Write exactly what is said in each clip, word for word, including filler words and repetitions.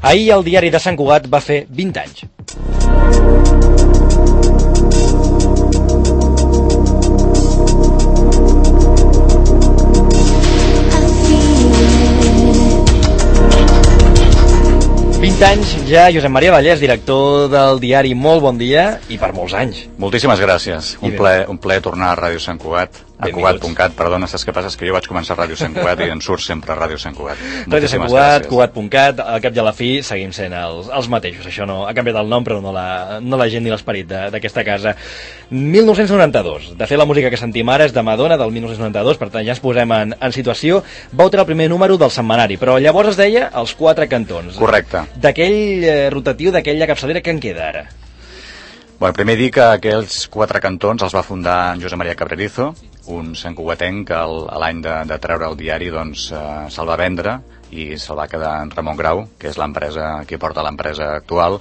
Ahir el diari de Sant Cugat va fer vint anys. vint anys ja, Josep Maria Vallès, director del diari, molt bon dia i per molts anys. Moltíssimes gràcies, un plaer, un plaer tornar a Ràdio Sant Cugat. A Cugat punt cat, perdona, saps què passa? És que jo vaig començar a Ràdio Sant Cugat i en surt sempre a Ràdio Sant Cugat. Ràdio Sant Cugat, Cugat punt cat, al cap i a la fi seguim sent els, els mateixos. Això no ha canviat el nom, però no la, no la gent ni l'esperit d'aquesta casa. mil nou-cents noranta-dos. De fet, la música que sentim ara és de Madonna, del mil nou-cents noranta-dos, per tant ja ens posem en, en situació. Vau treure el primer número del setmanari, però llavors es deia Els Quatre Cantons. Correcte. D'aquell eh, rotatiu, d'aquella capçalera, que en queda ara? Bueno, primer dir que aquells Quatre Cantons els va fundar en Josep Maria Cabrerizo, un santcugatenc que l'any de, de treure el diari doncs, eh, se'l va vendre i se'l va quedar en Ramon Grau, que és l'empresa que porta l'empresa actual.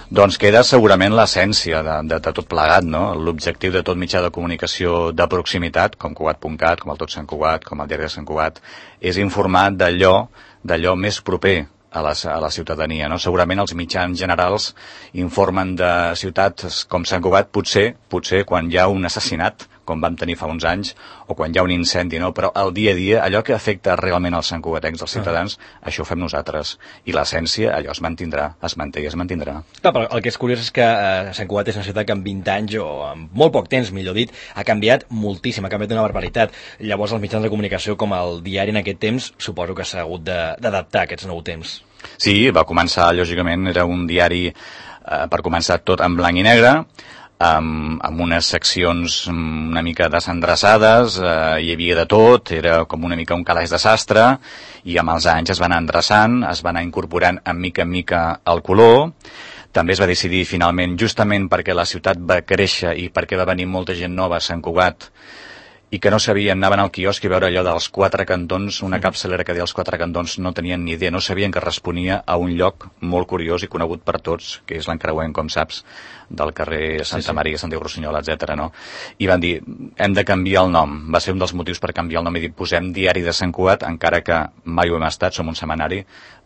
Doncs queda segurament l'essència de, de, de tot plegat, no? L'objectiu de tot mitjà de comunicació de proximitat, com Cugat punt cat, com el Tot Sant Cugat, com el Diari de Sant Cugat, és informar d'allò d'allò més proper a la, a la ciutadania, no? Segurament els mitjans generals informen de ciutats com Sant Cugat, potser, potser quan hi ha un assassinat, com vam tenir fa uns anys, o quan hi ha un incendi, no? Però el dia a dia, allò que afecta realment als santcugatencs, als ciutadans, uh-huh. això ho fem nosaltres. I l'essència, allò es mantindrà, es manté i es mantindrà. Clar, però el que és curiós és que eh, Sant Cugat és una ciutat que en vint anys, o en molt poc temps, millor dit, ha canviat moltíssim, ha canviat una barbaritat. Llavors els mitjans de comunicació, com el diari en aquest temps, suposo que s'ha hagut d'adaptar a aquests nous temps. Sí, va començar, lògicament, era un diari, eh, per començar tot en blanc i negre, amb, amb unes seccions una mica desendreçades, eh, hi havia de tot, era com una mica un calaix de sastre, i amb els anys es van anar endreçant, es van anar incorporant en mica en mica el color. També es va decidir finalment, justament perquè la ciutat va créixer i perquè va venir molta gent nova a Sant Cugat, i que no sabien, anaven al quiosc i veure allò dels Quatre Cantons, una capçalera que deia Els Quatre Cantons, no tenien ni idea, no sabien que responia a un lloc molt curiós i conegut per tots, que és l'encreuent, com saps, del carrer Santa sí, sí. Maria, Santiago Rossinyol, etcètera, no? I van dir, hem de canviar el nom. Va ser un dels motius per canviar el nom i dir, posem Diari de Sant Cugat, encara que mai ho hem estat, som un setmanari,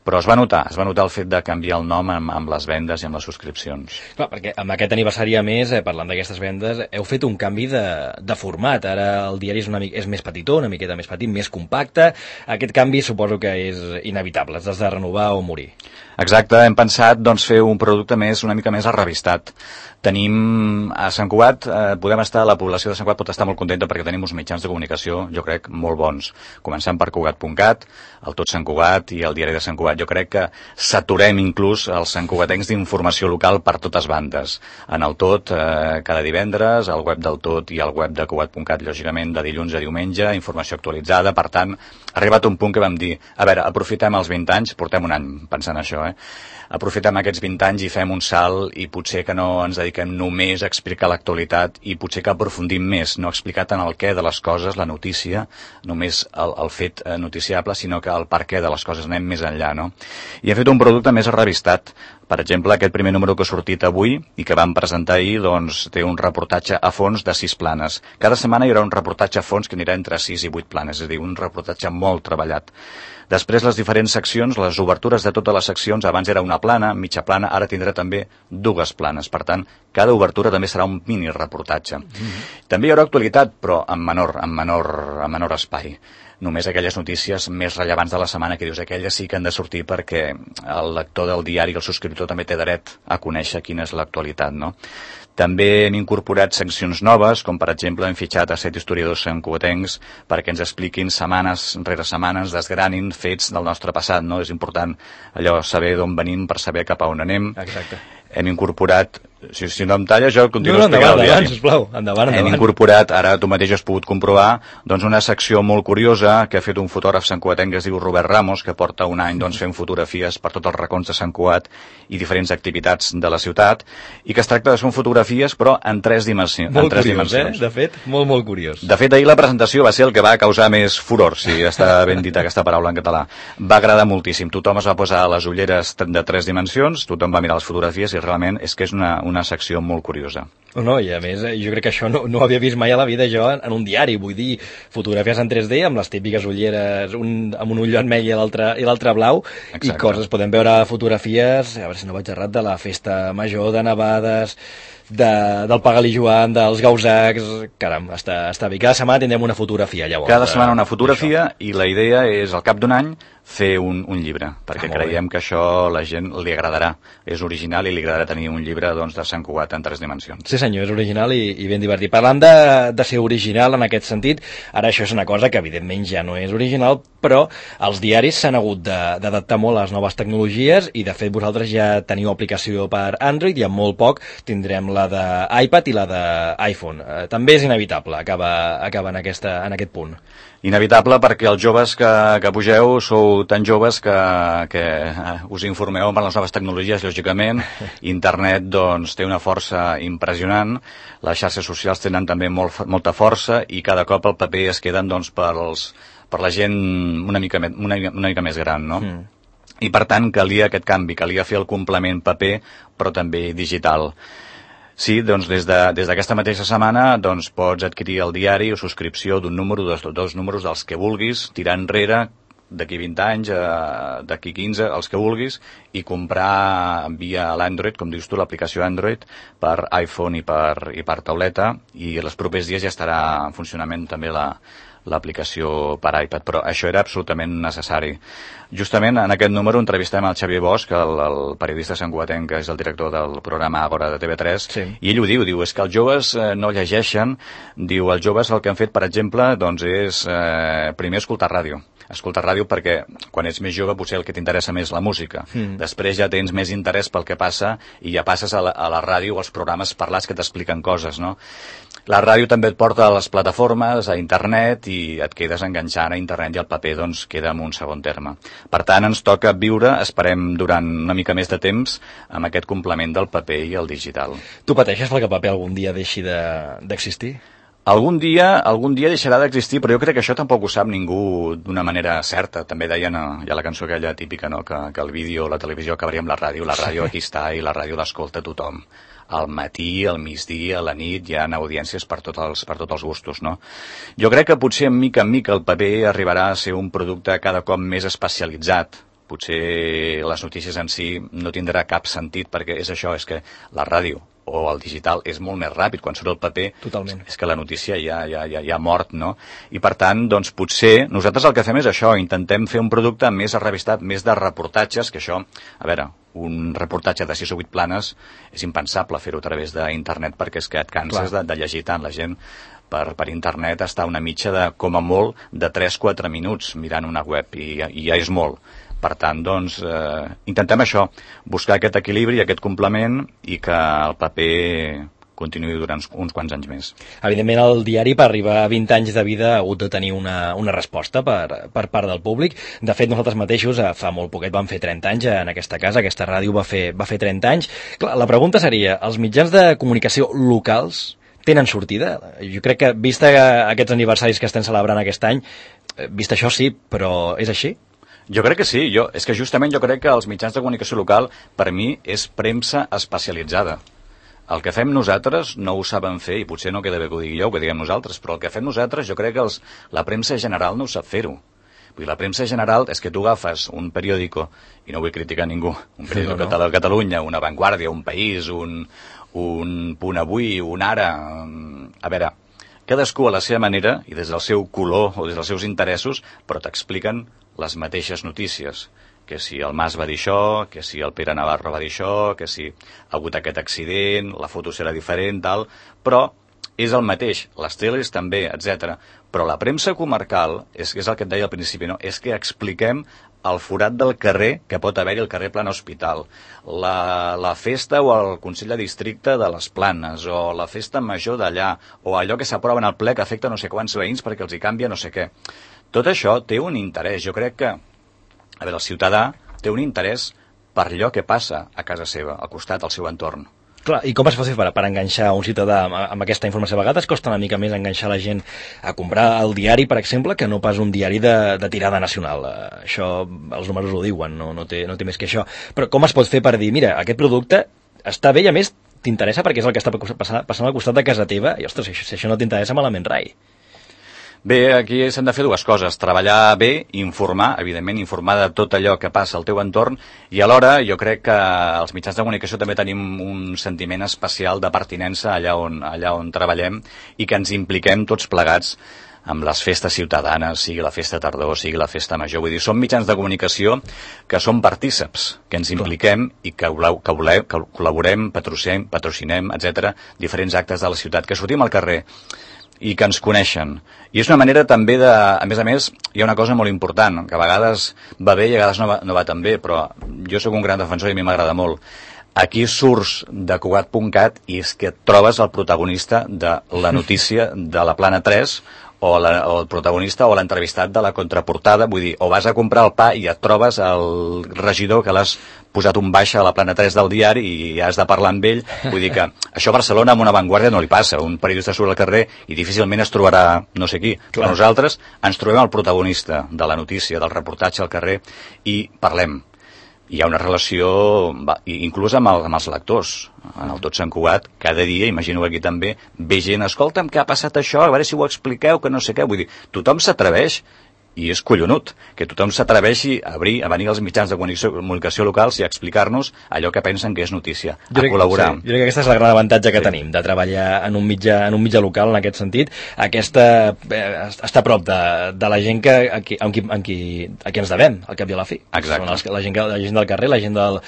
però es va notar, es va notar el fet de canviar el nom amb, amb les vendes i amb les subscripcions. Clar, perquè amb aquest aniversari, a més, eh, parlant d'aquestes vendes, heu fet un canvi de, de format. Ara el diari és, una, és més petitó, una miqueta més petit, més compacte. Aquest canvi suposo que és inevitable, has de renovar o morir. Exacte, hem pensat doncs, fer un producte més, una mica més arrevistat. Tenim a Sant Cugat, eh, podem estar, la població de Sant Cugat pot estar molt contenta perquè tenim uns mitjans de comunicació, jo crec, molt bons. Començant per Cugat punt cat, el Tot Sant Cugat i el Diari de Sant Cugat. Jo crec que saturem inclús els santcugatencs d'informació local per totes bandes. En el Tot, eh, cada divendres, al web del Tot i al web de Cugat punt cat, lògicament, de dilluns a diumenge, informació actualitzada. Per tant, ha arribat un punt que vam dir, a veure, aprofitem els vint anys, portem un any pensant això, eh? Aprofitem aquests vint anys i fem un salt i potser que no ens dediquem només a explicar l'actualitat i potser que aprofundim més, no explicar tant el què de les coses, la notícia, només el, el fet noticiable, sinó que el per què de les coses, anem més enllà, no? I hem fet un producte més arrevistat. Per exemple, aquest primer número que ha sortit avui i que vam presentar ahir, doncs, té un reportatge a fons de sis planes. Cada setmana hi haurà un reportatge a fons que anirà entre sis i vuit planes, és a dir, un reportatge molt treballat. Després, les diferents seccions, les obertures de totes les seccions, abans era una plana, mitja plana, ara tindrà també dues planes. Per tant, cada obertura també serà un mini reportatge. Mm-hmm. També hi haurà actualitat, però en menor, en menor, en menor espai. Només aquelles notícies més rellevants de la setmana que dius, aquelles sí que han de sortir perquè el lector del diari, el subscriptor, també té dret a conèixer quina és l'actualitat, no? També hem incorporat seccions noves, com per exemple hem fitxat a set historiadors santcugatencs perquè ens expliquin setmanes rere setmanes, desgranin fets del nostre passat, no? És important allò saber d'on venim per saber cap a on anem. Exacte. Hem incorporat, si, si no em talla jo continuo no, no, explicant endavant, el diari. Endavant, sisplau, endavant, endavant. Hem incorporat, ara tu mateix has pogut comprovar, doncs una secció molt curiosa que ha fet un fotògraf santcugatenc que es diu Robert Ramos, que porta un any doncs, fent fotografies per tots els racons de Sant Cugat i diferents activitats de la ciutat, i que es tracta de fer fotografies però en tres dimensions. Molt en tres curiós, dimensions. eh? De fet, molt, molt curiós. De fet, ahir la presentació va ser el que va causar més furor, si està ben dita aquesta paraula en català. Va agradar moltíssim. Tothom es va posar les ulleres de tres dimensions, tothom va mirar les fotografies i realment és que és una, una secció molt curiosa. No, i a més, jo crec que això no, no ho havia vist mai a la vida jo en, en un diari, vull dir, fotografies en tres D amb les típiques ulleres, un, amb un ull vermell i l'altre i l'altre blau. Exacte. I coses, podem veure fotografies, a veure si no vaig errat, de la festa major, de nevades, de, del Pagalí Joan, dels Gausacs. Caram, està, està bé. Cada setmana tindrem una fotografia, llavors. Cada setmana una fotografia, i la idea és, al cap d'un any, fer un, un llibre, perquè ah, creiem bé. que això a la gent li agradarà. És original i li agradarà tenir un llibre doncs, de Sant Cugat en tres dimensions. Sí senyor, és original i, i ben divertit. Parlant de, de ser original en aquest sentit, ara això és una cosa que evidentment ja no és original, però els diaris s'han hagut d'adaptar molt a les noves tecnologies i de fet vosaltres ja teniu aplicació per Android i en molt poc tindrem la d'iPad i la d'iPhone. Eh, també és inevitable acabar, acabar en, aquesta, en aquest punt. Inevitable perquè els joves que, que pugeu sou tan joves que, que us informeu amb les noves tecnologies, lògicament. Internet doncs, té una força impressionant, les xarxes socials tenen també molt, molta força i cada cop el paper es queden doncs, pels, per la gent una mica, una, una mica més gran, no? Mm. I per tant calia aquest canvi, calia fer el complement paper però també digital. Sí, doncs des d'aquesta de, mateixa setmana doncs, pots adquirir el diari o subscripció d'un número, dos, dos números dels que vulguis, tirar enrere d'aquí vint anys, eh, d'aquí quinze, els que vulguis, i comprar via l'Android, com dius tu, l'aplicació Android, per iPhone i per, i per tauleta, i els propers dies ja estarà en funcionament també la l'aplicació per iPad, però això era absolutament necessari. Justament en aquest número entrevistem el Xavier Bosch, el, el periodista santcugatenc, que és el director del programa Agora de T V tres, sí. I ell ho diu, diu, és que els joves eh, no llegeixen, diu, els joves el que han fet, per exemple, doncs és eh, primer escoltar ràdio. Escoltar ràdio perquè quan ets més jove potser el que t'interessa més la música. Mm. Després ja tens més interès pel que passa i ja passes a la, a la ràdio o als programes parlats que t'expliquen coses, no? La ràdio també et porta a les plataformes, a internet, i et quedes enganxant a internet i el paper doncs queda en un segon terme. Per tant, ens toca viure, esperem durant una mica més de temps, amb aquest complement del paper i el digital. Tu pateixes perquè el paper algun dia deixi d'existir? De, Algun dia, algun dia deixarà d'existir, però jo crec que això tampoc ho sap ningú d'una manera certa. També deien, hi ha la cançó aquella típica, no?, que, que el vídeo, la televisió acabaria amb la ràdio, la ràdio aquí està i la ràdio l'escolta tothom. Al matí, al migdia, a la nit, hi ha audiències per tots els, per tots els gustos, no? Jo crec que potser, mica en mica, el paper arribarà a ser un producte cada cop més especialitzat. Potser les notícies en si no tindrà cap sentit, perquè és això, és que la ràdio o el digital és molt més ràpid, quan surt el paper. Totalment. És que la notícia ja, ja, ja, ja ha mort, no? I per tant, doncs potser nosaltres el que fem és això, intentem fer un producte més revistat, més de reportatges, que això, a veure, un reportatge de sis o vuit planes és impensable fer-ho a través d'internet, perquè és que et canses de, de llegir tant. La gent per, per internet està una mitja de, com a molt, de tres a quatre minuts mirant una web, i, i ja és molt. Per tant, doncs, eh, intentem això, buscar aquest equilibri, aquest complement, i que el paper continuï durant uns quants anys més. Evidentment, el diari, per arribar a vint anys de vida, ha hagut de tenir una, una resposta per, per part del públic. De fet, nosaltres mateixos, fa molt poquet, vam fer trenta anys en aquesta casa, aquesta ràdio va fer, va fer trenta anys. Clar, la pregunta seria, els mitjans de comunicació locals tenen sortida? Jo crec que, vista aquests aniversaris que estem celebrant aquest any, vist això sí, però és així? Jo crec que sí, jo, és que justament jo crec que els mitjans de comunicació local, per mi, és premsa especialitzada. El que fem nosaltres no ho saben fer, i potser no queda bé que ho digui jo, que diguem nosaltres, però el que fem nosaltres jo crec que els, la premsa general no ho sap fer-ho. Vull dir, la premsa general és que tu agafes un periòdico, i no vull criticar ningú, un periòdico no, no. de Catalunya, una Vanguardia, un País, un, un Punt Avui, un Ara... A veure, cadascú a la seva manera, i des del seu color o des dels seus interessos, però t'expliquen les mateixes notícies, que si el Mas va dir això, que si el Pere Navarro va dir això, que si ha hagut aquest accident, la foto serà diferent, tal, però és el mateix, les teles també, etcètera. Però la premsa comarcal, és, és el que et deia al principi, no? És que expliquem el forat del carrer que pot haver-hi al carrer Plana Hospital, la, la festa o el Consell de Districte de les Planes, o la festa major d'allà, o allò que s'aprova en el ple que afecta no sé quants veïns perquè els hi canvia no sé què. Tot això té un interès. Jo crec que, a veure, el ciutadà té un interès per allò que passa a casa seva, al costat, al seu entorn. Clar, i com es fa per, per enganxar un ciutadà amb, amb aquesta informació? A vegades costa una mica més enganxar la gent a comprar el diari, per exemple, que no pas un diari de, de tirada nacional. Això, els números ho diuen, no, no, té, no té més que això. Però com es pot fer per dir, mira, aquest producte està bé i a més t'interessa perquè és el que està passant, passant al costat de casa teva, i ostres, si això no t'interessa malament rai. Bé, aquí s'han de fer dues coses, treballar bé, informar, evidentment informar de tot allò que passa al teu entorn, i alhora jo crec que els mitjans de comunicació també tenim un sentiment especial de pertinença allà on, allà on treballem i que ens impliquem tots plegats amb les festes ciutadanes, sigui la festa tardor, sigui la festa major. Vull dir, són mitjans de comunicació que són partíceps, que ens impliquem i que, que, volem, que col·laborem, patrocinem, patrocinem, etcètera, diferents actes de la ciutat, que sortim al carrer i que ens coneixen. I és una manera també de... A més a més, hi ha una cosa molt important, que a vegades va bé i a vegades no va, no va tan bé, però jo sóc un gran defensor i a mi m'agrada molt. Aquí surts de Cugat punt cat i és que et trobes el protagonista de la notícia de la Plana tres o, la, o el protagonista o l'entrevistat de la contraportada, vull dir, o vas a comprar el pa i et trobes el regidor que l'has posat un baixa a la Plana tres del diari i has de parlar amb ell, vull dir que això a Barcelona amb una Vanguardia no li passa, un periodista surt al carrer i difícilment es trobarà no sé qui, clar. Però nosaltres ens trobem el protagonista de la notícia, del reportatge al carrer i parlem. Hi ha una relació, inclús amb, el, amb els lectors, en el Tot Sant Cugat, cada dia, imagino aquí també, ve gent, escolta'm, què ha passat això, a veure si ho expliqueu, que no sé què, vull dir, tothom s'atreveix, i és collonut, que tothom s'atreveixi a, abrir, a venir als mitjans de comunicació, comunicació locals i a explicar-nos allò que pensen que és notícia, a crec, col·laborar. Sí, jo crec que aquesta és el gran avantatge que sí. tenim, de treballar en un mitjà, en un mitjà local, en aquest sentit, aquesta, eh, està a prop de, de la gent que, a, qui, a, qui, a, qui, a qui ens devem, al cap i a la fi. Exacte. Són els, la, gent, la gent del carrer, la gent del,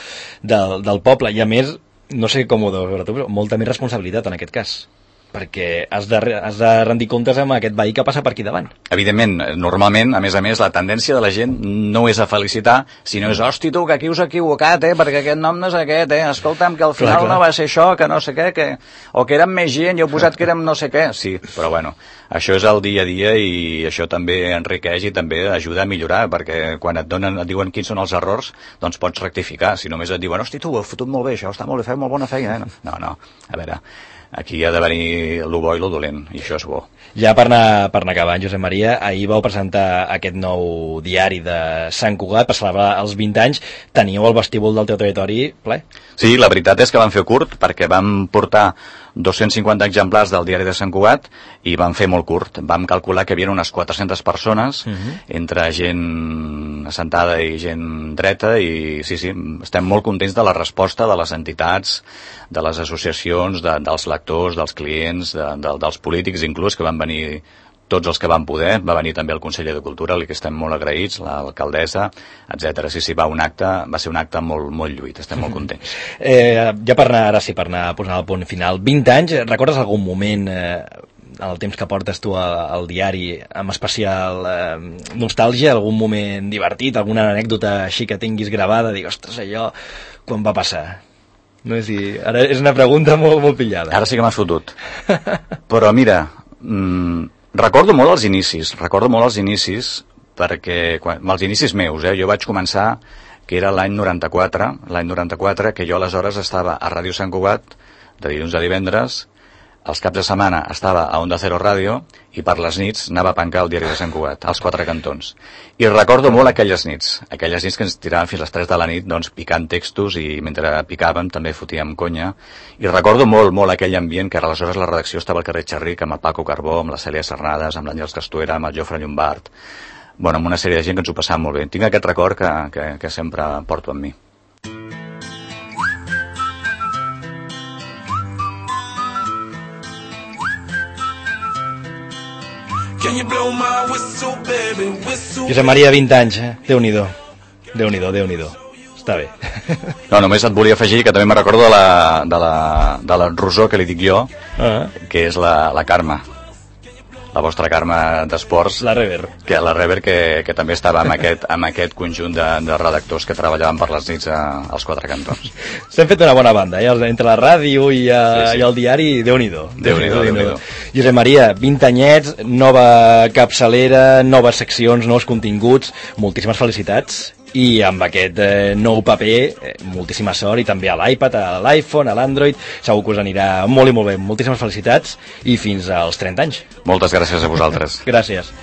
del, del poble, i a més, no sé com ho deus veure tu, però molta més responsabilitat en aquest cas, perquè has de, has de rendir comptes amb aquest veí que passa per aquí davant. Evidentment, normalment, a més a més, la tendència de la gent no és a felicitar, sinó és, hosti tu, que aquí us ha equivocat, eh, perquè aquest nom no és aquest, eh, escolta'm, que al final clar, clar. no va ser això, que no sé què, que... o que érem més gent i heu posat que érem no sé què. Sí, però bueno, això és el dia a dia i això també enriqueix i també ajuda a millorar, perquè quan et donen, et diuen quins són els errors, doncs pots rectificar. Si només et diuen, hosti tu, ho heu fotut molt bé, això està molt bé, feu molt bona feina, eh? No, no, a veure... Aquí ha de venir lo bo i lo dolent, i això és bo. Ja per anar, per anar acabant, Josep Maria, ahir vau presentar aquest nou diari de Sant Cugat, per celebrar els vint anys, teníeu el vestíbul del teu territori ple? Sí, la veritat és que vam fer curt, perquè vam portar dos-cents cinquanta exemplars del diari de Sant Cugat i vam fer molt curt. Vam calcular que hi havia unes quatre-centes persones, uh-huh. entre gent assentada i gent dreta, i sí, sí, estem molt contents de la resposta de les entitats, de les associacions, de, dels lectors, dels clients, de, de, dels polítics, inclús, que van venir tots els que van poder, va venir també el conseller de Cultura, al que estem molt agraïts, l'alcaldessa, etcètera. Sí, sí, va, un acte, va ser un acte molt, molt lluït, estem molt contents. Eh, ja per anar, ara sí, per anar posant el punt final, vint anys, recordes algun moment, eh, en el temps que portes tu al, al diari, amb especial eh, nostàlgia, algun moment divertit, alguna anècdota així que tinguis gravada, dir, ostres, allò, quan va passar? No és dir, ara és una pregunta molt, molt pillada. Ara sí que m'has fotut. Però mira, mmm, recordo molt els inicis, recordo molt els inicis, perquè, quan, els inicis meus, eh, jo vaig començar, que era l'any noranta-quatre, l'any noranta-quatre, que jo aleshores estava a Ràdio Sant Cugat, de dilluns a divendres, els caps de setmana estava a Onda Cero Ràdio i per les nits anava a pencar el diari de Sant Cugat, als quatre cantons. I recordo molt aquelles nits, aquelles nits que ens tiraven fins a les tres de la nit, doncs picant textos i mentre picàvem també fotíem conya. I recordo molt, molt aquell ambient que aleshores la redacció estava al carrer Xerric amb el Paco Carbó, amb la Cèlia Cernades, amb l'Àngels Castuera, amb el Jofre Llombart, bueno, amb una sèrie de gent que ens ho passava molt bé. Tinc aquest record que, que, que sempre porto amb mi. Josep Maria, vint anys, eh? Déu-n'hi-do. Déu-n'hi-do, Déu-n'hi-do. Està bé. No, només et volia afegir que també me recordo de la, de la, de la Rosó, que li dic jo, uh-huh. que és la, la Carme, la vostra Carme d'Esports. La Rever. Que, la Rever, que, que també estava amb aquest, amb aquest conjunt de, de redactors que treballaven per les nits a, als quatre cantons. S'han fet una bona banda, eh? Entre la ràdio i, a, sí, sí. i el diari, Déu-n'hi-do. Déu-n'hi-do, Déu-n'hi-do. Josep Maria, vint anyets, nova capçalera, noves seccions, nous continguts, moltíssimes felicitats. I amb aquest eh, nou paper, eh, moltíssima sort, i també a l'iPad, a l'iPhone, a l'Android, segur que us anirà molt i molt bé. Moltíssimes felicitats i fins als trenta anys. Moltes gràcies a vosaltres. Gràcies.